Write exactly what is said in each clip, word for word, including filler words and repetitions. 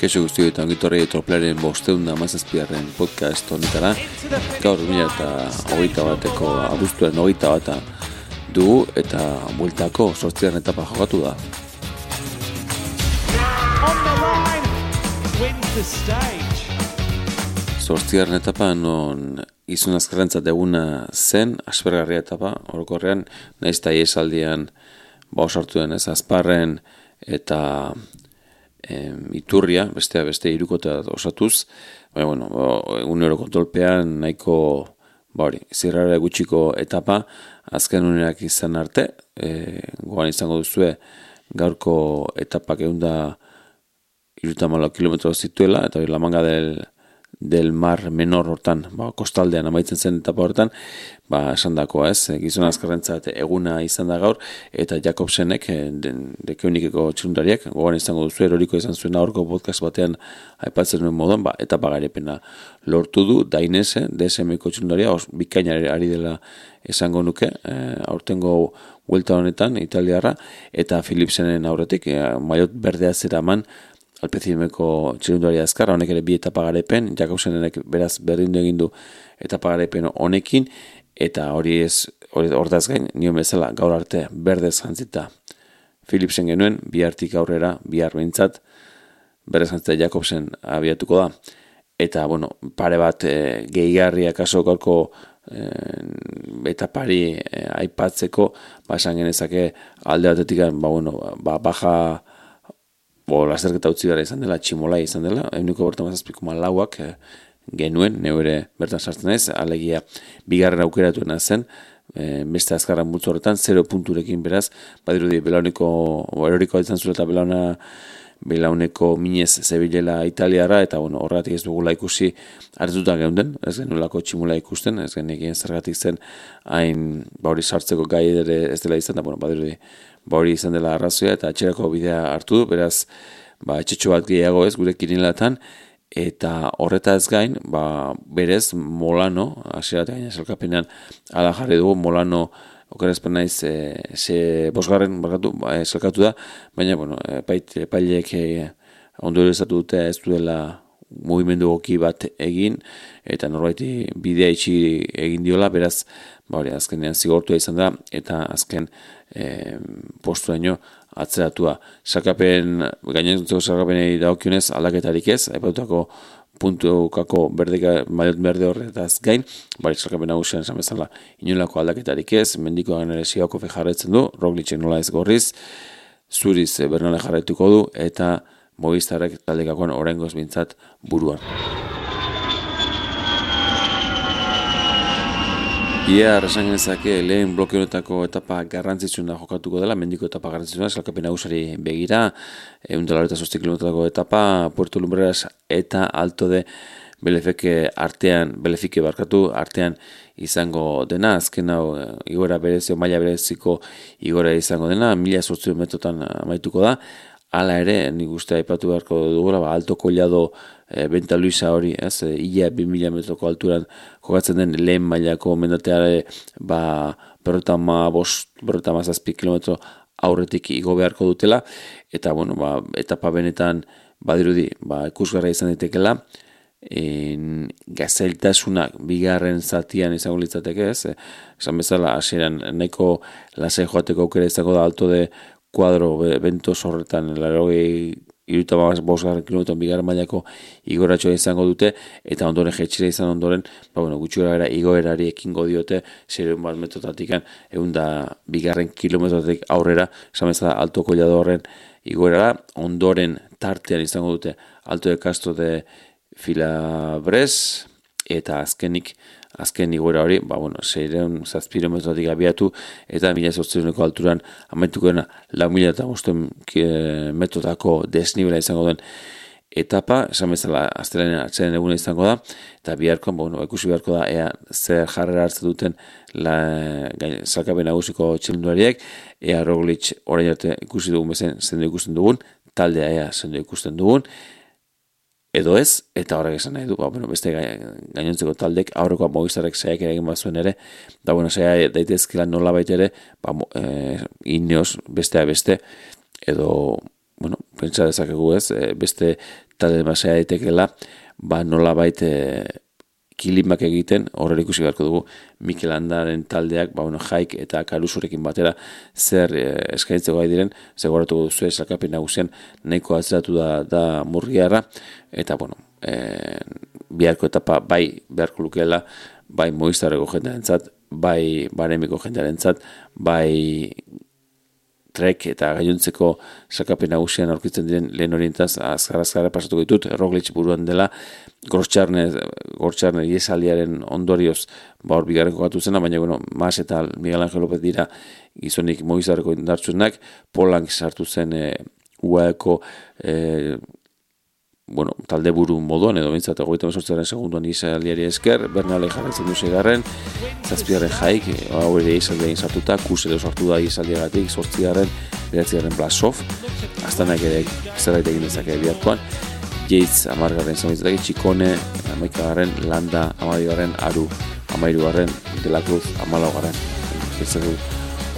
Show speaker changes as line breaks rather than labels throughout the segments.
Kaixo guztio eta ongitorri Troplaren bosteun da mazazpiarren podcast honetara. Gaur mila eta hogeita bateko abuztuen hogeita bata dugu eta bueltako zortziaren etapa jokatu da. Zortziaren etapa non izun azkarrentzat eguna zen, aspergarria etapa, orokorrean, nahiz eta iesaldian ba osartu den ez, Azparren eta em, Iturria, bestea beste hirukotea osatuz, baina, bueno, egunero kontrolpean nahiko, ba hori, zirrara gutxiko etapa, azken unerak izan arte, e, gogan izango duzue gaurko etapak eunda hirurogeita hamalau kilometro zituela, eta hori La Manga del del Mar Menor hortan, ba, kostaldean amaitzen zen etapa hortan, ba, esan dakoa ez, gizon azkarrentzat eguna izan da gaur, eta Jakobsenek, dekeunikeko txirundariak, gogan izango duzu, eroriko izan zuen aurko podcast batean aipatzen duen moduan, ba, etapa garepena lortu du, Dainese, D S M-ko txirundaria, bikaina ari dela esango nuke, e, aurtengo vuelta honetan, italiarra, eta Philipsenen aurretik, e, maiot berdea zeraman, Alpecimeko txirundari azkarra, honek ere bi etapa garepen, Jakobsenek beraz berdindu egin du etapa garepen honekin, eta hori ez, hordaz gain, nio bezala gaur arte berdez jantzita Philipsen genuen, bi hartik aurrera, bi behintzat, berdez jantzita Jakobsen abiatuko da. Eta, bueno, pare bat e, gehigarria kaso gaurko e, etapari e, aipatzeko, ba, esan genezake alde batetik, ba, bueno, ba, baja Bo, lasterketa utzi gara izan dela, tximolai izan dela, eguneko bertan mazazpiko malauak e, genuen, neu ere bertan sartzen ez, alegia bigarren aukeratuena zen, e, beste azkarran multzo horretan, zero punturekin beraz, badirudi belauneko, bo, eroriko izan zuen eta belauna, belauneko minez zebilela italiara, eta bueno, horregatik ez dugula ikusi hartutan geunden, ez genuelako tximola ikusten, ez genekien zergatik zen hain bauri sartzeko gai ere ez dela izan, da bueno, badirudi bauri izan dela arrazoia, eta atxerako bidea hartu du, beraz, ba, etxetxo bat gehiago ez, gure kirinelatan, eta horretaz gain, ba, berez, Molano, hasieratik gaina zelkapenean ala jarri dugu, Molano, okerazpen naiz, e, ze bosgarren barkatu, ba, e, zelkatu da, baina, bueno, epaileek e, ondo erezatu dute ez duela mugimendu goki bat egin, eta norbaiti bidea itxi egin diola, beraz, ba, hori, azkenean zigortua izan da, eta azken e, posturaino atzeratua. Sarkapen, gainentzeko sarkapenei dagokionez aldaketarik ez, aipatutako puntukako berdeka, maiot berde horretaz gain, bari sarkapen nagusian esan bezala inolako aldaketarik ez, mendiko ganere Siako jarraitzen du, Roglicek nola ez gorriz, Zuriz Bernale jarraituko du, eta Movistarrek taldekakoan oraingoz bintzat buruan. Ia, esan genezake, lehen bloke honetako etapa garrantzitsuna jokatuko dela, mendiko etapa garrantzitsuna, salkapen nagusari begira, ehun eta laurogeita zortzi kilometroko etapa, Puerto Lumbreras eta Alto de Belefeke artean, Belefike barkatu, artean izango dena, azken hau igora berezio, maila bereziko igora izango dena, mila zortziehun metrotan amaituko da, hala ere, nik uste aipatu beharko dugula, ba, Alto Collado e, Benta Luisa hori, ez, e, ia bi mila metroko alturan jokatzen den lehen mailako mendateare, ba, berrotama bost, berrotama zazpi kilometro aurretik igo beharko dutela, eta, bueno, ba, etapa benetan badirudi, ba, ikusgarra izan ditekela, en, gazeltasunak bigarren zatian izango litzateke, ez, e, esan bezala, hasieran nahiko lasai joateko aukera izango da Alto de kuadro bentos horretan, larogei iruta bosgarren kilometron bigarren mailako igoratxoa izango dute, eta ondoren jetxira izan ondoren, ba, bueno, gutxi gara igoerari ekingo diote, zereun bat metrotatikan, egun da bigarren kilometrotatik aurrera, esan bezala Alto Collado horren igoerara, ondoren tartean izango dute Alto de Castro de Filabres, eta azkenik, azken igoera hori, ba, bueno, zeireun zazpirometrotik abiatu, eta mila zortziehuneko alturan amaituko dena, lau mila eta bosten metrotako desnibela izango den etapa, esan bezala, astelenean atzeren eguna izango da, eta biharkoan, ba, bueno, ikusi beharko da, ea zer jarrera hartzen duten salkapen nagusiko txirrindulariek, ea Roglic orain arte ikusi dugun bezen, zendo ikusten dugun, taldea ea zendo ikusten dugun, edo ez, eta horrek esan nahi du, ba, bueno, beste gainontzeko taldek, aurrekoa Movistarrek saiak ere egin bazuen ere, da, bueno, saia daitezkela nola baita ere, ba, e, Ineos bestea beste, edo, bueno, pentsa dezakegu ez, beste talde basea daitekela, ba nola baita kilimak egiten, horre ikusi beharko dugu Mikel Landaren taldeak, ba, bueno, Jaik eta Karusurekin batera zer eh, eskaintzeko gai diren, zegoratuko duzu sailkapen nagusian nahiko atzeratu da, da Murgiarra, eta bueno, eh, biharko etapa bai beharko lukeela, bai Movistarreko jendearentzat, bai Baremiko jendearentzat, bai Trek eta gainontzeko sailkapen nagusian aurkitzen diren lehen horientaz azkar-azkar pasatuko ditut, Roglic buruan dela, Gortxarner, Gortxarner iesaldiaren ondorioz ba hor bigarren kokatu zena, baina bueno, Mas eta Miguel Angel López dira gizonik Movistarreko indartsuenak, Polank sartu zen e, U A Eko e, bueno, talde buru moduan, edo bintzat egoita mesortzaren segunduan isaldiari esker, Bernalek jarraitzen du seigarren, zazpigarren Jaik, hau ere isaldiain sartuta, Kusele sartu da isaldiagatik, zortzigarren, beratzigarren Blasov, Astanak ere zerbait egin dezake biharkoan, Yates amargarren izan Txikone, amaikagarren Landa, amabigarren Aru, amairugarren De La Cruz, amalaugarren.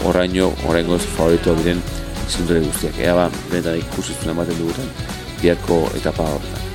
Horraino, horrengoz favorito diren izundure guztiak. Ea ba, benetan ikusitzen ematen dugutan, biharko etapa horretan.